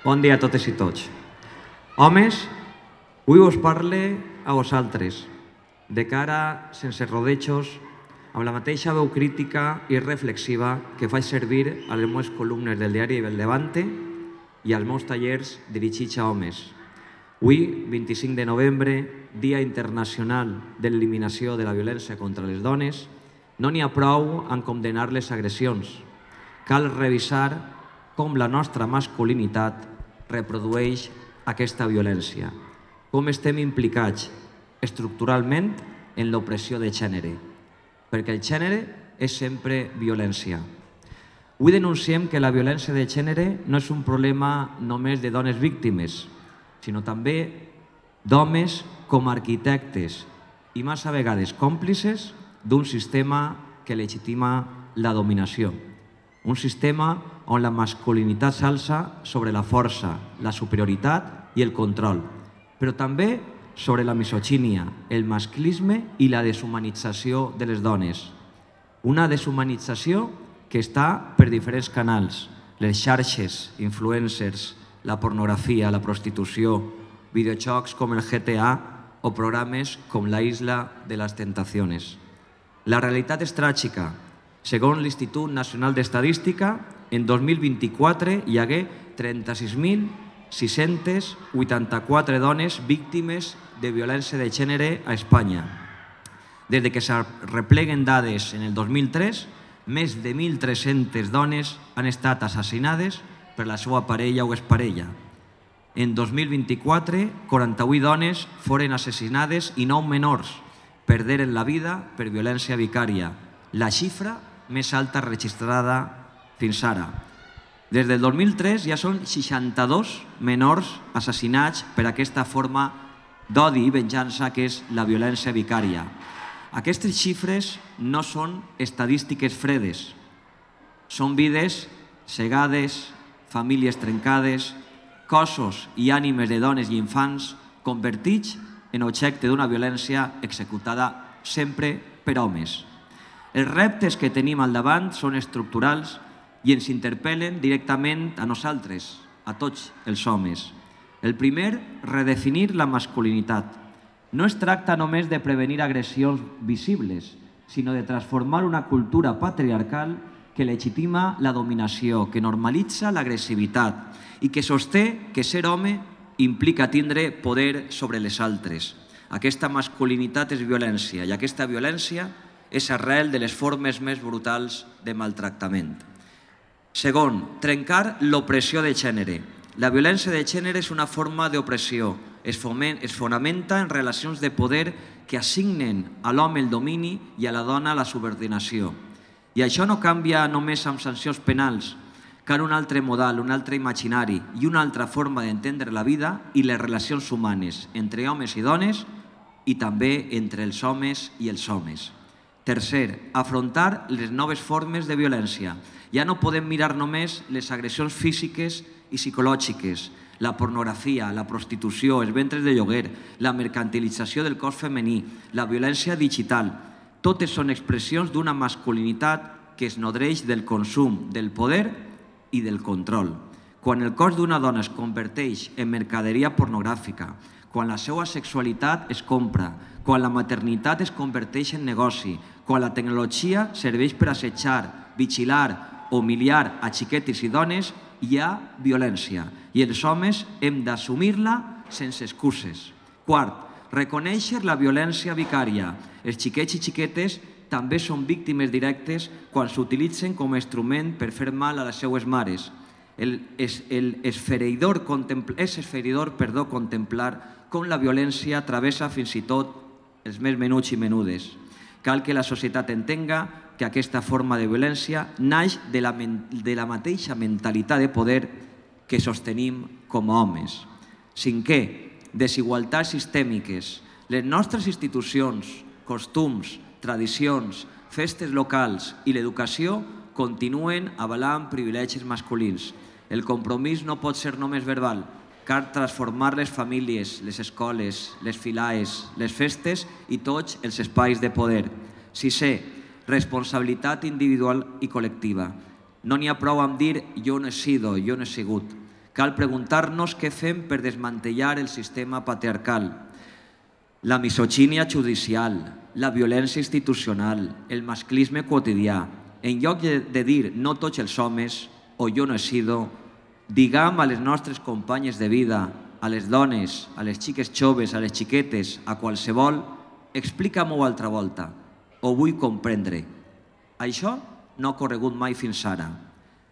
Bon dia a totes i tots. Homes, avui us parle a vosaltres, de cara, sense rodejos, amb la mateixa veu crítica i reflexiva que faig servir a les meves columnes del diari El Levante i als meus tallers dirigits a homes. Avui, 25 de novembre, Dia Internacional d'Eliminació de la Violència contra les Dones, no n'hi ha prou en condemnar les agressions. Cal revisar com la nostra masculinitat reprodueix aquesta violència, com estem implicats estructuralment en l'opressió de gènere, perquè el gènere és sempre violència. Avui denunciem que la violència de gènere no és un problema només de dones víctimes, sinó també d'homes com a arquitectes i massa vegades còmplices d'un sistema que legitima la dominació. Un sistema on la masculinitat s'alça sobre la força, la superioritat i el control, però també sobre la misogínia, el masclisme i la deshumanització de les dones. Una deshumanització que està per diferents canals, les xarxes, influencers, la pornografia, la prostitució, videojocs com el GTA o programes com la Isla de las Tentaciones. La realitat és tràgica. Segons l'Institut Nacional d'Estadística, en 2024 hi hagué 36.684 dones víctimes de violència de gènere a Espanya. Des que s'arrepleguen dades en el 2003, més de 1.300 dones han estat assassinades per la seva parella o exparella. En 2024, 48 dones foren assassinades i 9 menors perderen la vida per violència vicària, la xifra més alta registrada fins ara. Des del 2003 ja són 62 menors assassinats per aquesta forma d'odi i venjança que és la violència vicària. Aquestes xifres no són estadístiques fredes, són vides cegades, famílies trencades, cossos i ànimes de dones i infants convertits en objecte d'una violència executada sempre per homes. Els reptes que tenim al davant són estructurals i ens interpel·len directament a nosaltres, a tots els homes. El primer, redefinir la masculinitat. No es tracta només de prevenir agressions visibles, sinó de transformar una cultura patriarcal que legitima la dominació, que normalitza l'agressivitat i que sosté que ser home implica tindre poder sobre les altres. Aquesta masculinitat és violència i aquesta violència és arrel de les formes més brutals de maltractament. Segon, trencar l'opressió de gènere. La violència de gènere és una forma d'opressió. Es fonamenta en relacions de poder que assignen a l'home el domini i a la dona la subordinació. I això no canvia només amb sancions penals. Cal un altre model, un altre imaginari i una altra forma d'entendre la vida i les relacions humanes entre homes i dones i també entre els homes i els homes. Tercer, afrontar les noves formes de violència. Ja no podem mirar només les agressions físiques i psicològiques, la pornografia, la prostitució, els ventres de lloguer, la mercantilització del cos femení, la violència digital. Totes són expressions d'una masculinitat que es nodreix del consum, del poder i del control. Quan el cos d'una dona es converteix en mercaderia pornogràfica, quan la seva sexualitat es compra, quan la maternitat es converteix en negoci, quan la tecnologia serveix per assetjar, vigilar o humiliar a xiquetes i dones, hi ha violència i els homes hem d'assumir-la sense excuses. Quart, reconèixer la violència vicària. Els xiquets i xiquetes també són víctimes directes quan s'utilitzen com a instrument per fer mal a les seues mares. És esfereïdor contemplar com la violència travessa fins i tot els més menuts i menudes. Cal que la societat entenga que aquesta forma de violència naix de la mateixa mentalitat de poder que sostenim com a homes. Cinquè, desigualtats sistèmiques. Les nostres institucions, costums, tradicions, festes locals i l'educació continuen avalant privilegis masculins. El compromís no pot ser només verbal. Cal transformar les famílies, les escoles, les filaes, les festes i tots els espais de poder. Sisè, responsabilitat individual i col·lectiva. No n'hi ha prou amb dir jo no he sido, jo no he sigut. Cal preguntar-nos què fem per desmantellar el sistema patriarcal, la misogínia judicial, la violència institucional, el masclisme quotidià. En lloc de dir no tots els homes o jo no he sido, diguem a les nostres companyes de vida, a les dones, a les xiques joves, a les xiquetes, a qualsevol, explica-m'ho altra volta, ho vull comprendre. Això no ha corregut mai fins ara.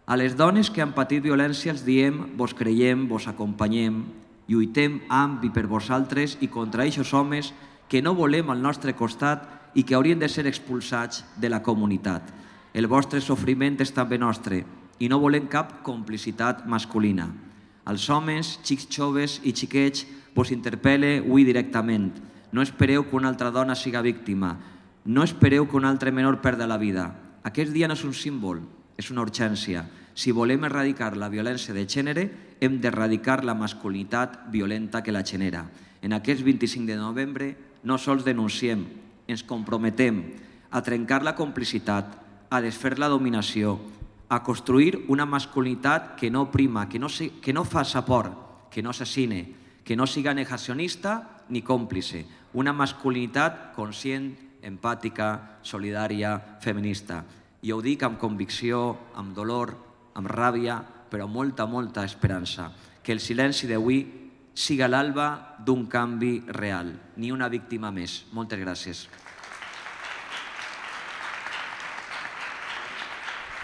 A les dones que han patit violència els diem, vos creiem, vos acompanyem, lluitem amb i per vosaltres i contra aquests homes que no volem al nostre costat i que haurien de ser expulsats de la comunitat. El vostre sofriment és també nostre i no volem cap complicitat masculina. Als homes, xics joves i xiquets, vos interpel·le avui directament. No espereu que una altra dona siga víctima. No espereu que un altre menor perda la vida. Aquest dia no és un símbol, és una urgència. Si volem erradicar la violència de gènere, hem d'erradicar la masculinitat violenta que la genera. En aquest 25 de novembre no sols denunciem, ens comprometem a trencar la complicitat, a desfer la dominació, a construir una masculinitat que no prima, que no fa por, que no assassine, que no siga negacionista ni còmplice. Una masculinitat conscient, empàtica, solidària, feminista. I ho dic amb convicció, amb dolor, amb ràbia, però amb molta, molta esperança. Que el silenci d'avui siga l'alba d'un canvi real, ni una víctima més. Moltes gràcies.